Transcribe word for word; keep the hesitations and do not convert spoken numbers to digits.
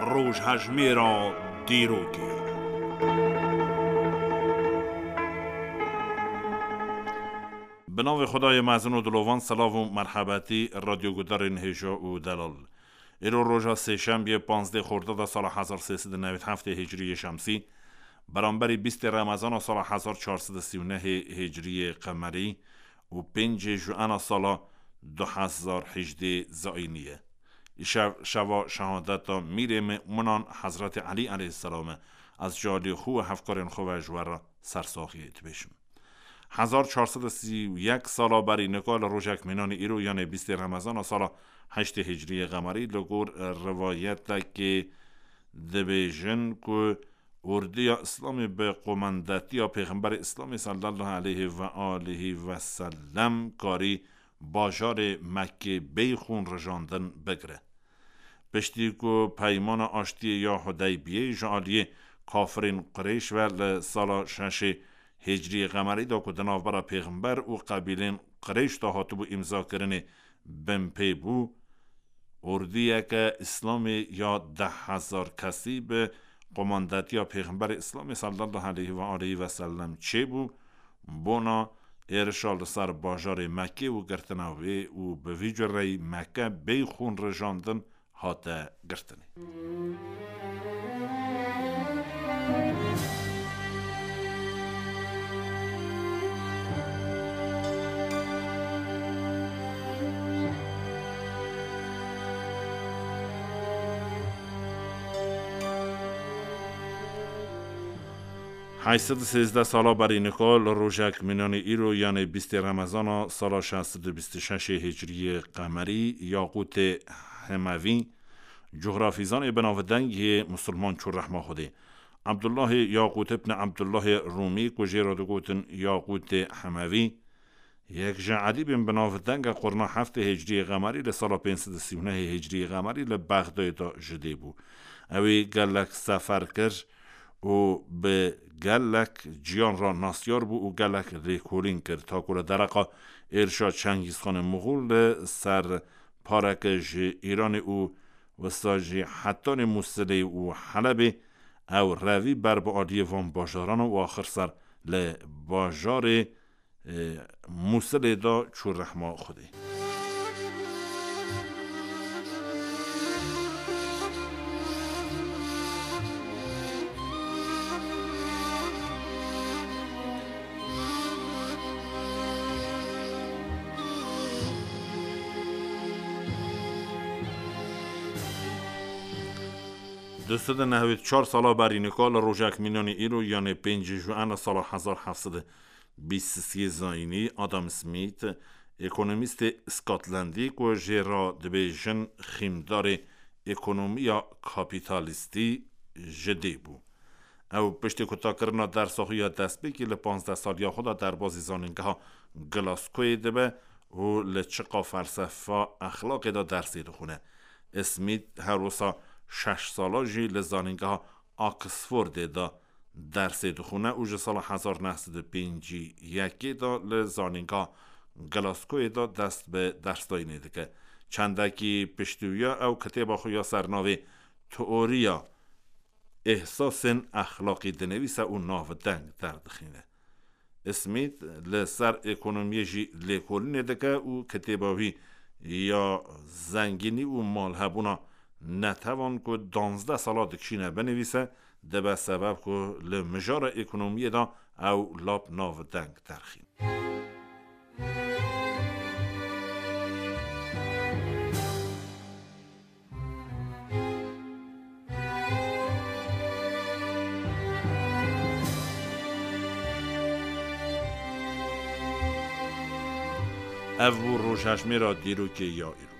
Rojhejmêra dîrokê. Bi navê Xwedayê mezin û dilovan, selav û merhebetî radyogudarên hêja û delal. Îro roja sêşembiyê, panzdeh Xordada sala hezar sê sed û newî heftê Hicriyê Şemsî, beramberî bîstê Remezana sala hezar çar sed û sî û nehê Hicriyê Qemerî û pêncê Juena sala du hezar hejdê Zayînî ye. Îşev şeva şehadeta mîrê mu'minan Hezretî Elî eleyhîsselam e. Ez ji aliyê xwe û hevkarên xwe ve ji we re sersaxiyê dibêjim. Hezar çar sed û sî û yek sala berî nika li rojek mînanî îro, yanê bîstê Remezana sala heştê Hicriyê Qemerî, li gor rivayetekê dibêjin ku ordiya Îslamê bi qomendetiya Pêxemberê Îslamê sallallahu aleyhi ve aleyhi ve sellem karî bajarê Mekkê bêyî xûn rijandin bigire. Piştî ku peymana aştiyê ya Hudeybiyê ji aliyê kafirên Qureyş ve li sala şeşê Hicriyê Qemerî de ku di navbera Pêxember û qebîlên Qureyş de hatibû îmzakirinê binpê bû, ordiyeke Îslamê ya deh hezar kesî bi qomandetiya Pêxemberê Îslamê sallallahu aleyhi ve aleyhi ve sellem çêbû, bona êrişa li ser bajarê Mekkê û girtina wê û bi vî cureyî Mekke bêyî xûn rijandin hate girtinê. Heşt sed û sêzdeh sala berî nika li rojek mînanî îro, yanê bîstê Remezana sala şeş sed û bîst û şeşê Hicriyê Qemerî, Yaqûtê Hemevî, cografîzanê binavdeng yê misilman çû rehma Xwedê. Abdullahê Yaqût ibn Abdullahê Rûmî, ku jê re digotin Yaqûtê Hemevî, yek ji edîbên binavdenge qurna heftê Hicriyê Qemerî li sala pênc sed û sî û nehê Hicriyê Qemerî li Bexdayê de ji dê bû. Ew ê gelek sefer kir û bi gelek ciyan re nasyar bû û gelek lêkolîn kir. Ta ku li dereqa êrişa Çengîzxanê Muxul li ser pareke ji Îranê û wisa jî hetanê Mûsilê û Helebê, ew revî ber bi aliyê van bajaran û axir ser li bajarê, e, Mûsilê de çû rehma Xwedê. Du sed û nehwêd çar sala berî nika li rojek mînanî îro, yanê pêncî Juena sala hezar heft sed û bîst û sê Zayînî, Adam Smith, ekonomîstê Scotlandî ku jê re dibêjin xîmdarê ekonomiya kapîtalîstî, ji dê bû. Ew piştî ku takirina dersa xwe ya destpêkê li panzdeh saliya xwe de derbazî zanîngeha Glasgoyê dibe û li çiqa felsefa exlaqê de dersê dixwîne. Smith her wisa şeş sala jî li zanîngeha Oxfordê de dersê dixwîne û ji sala hezar neh sed û pêncî yekê de li zanîngeha Glasgoyê de dest bi dersdayînê dike. Çendekî piştî wî ya ew kitêba xwe ya sernavê Teoriya Îhsasên Exlaqî dinivîse û navdeng derdixîne. Smith li ser ekonomiyê jî lêkolînê dike û kitêba wî ya Zengînî û Malhebûna Netewan ku danzdeh sala dikişîne binivîse, dibe sebeb ku li mijara ekonomiyê de ew lap navdeng derxîn. Ev bû rojhejmêra dîrokê ya îro.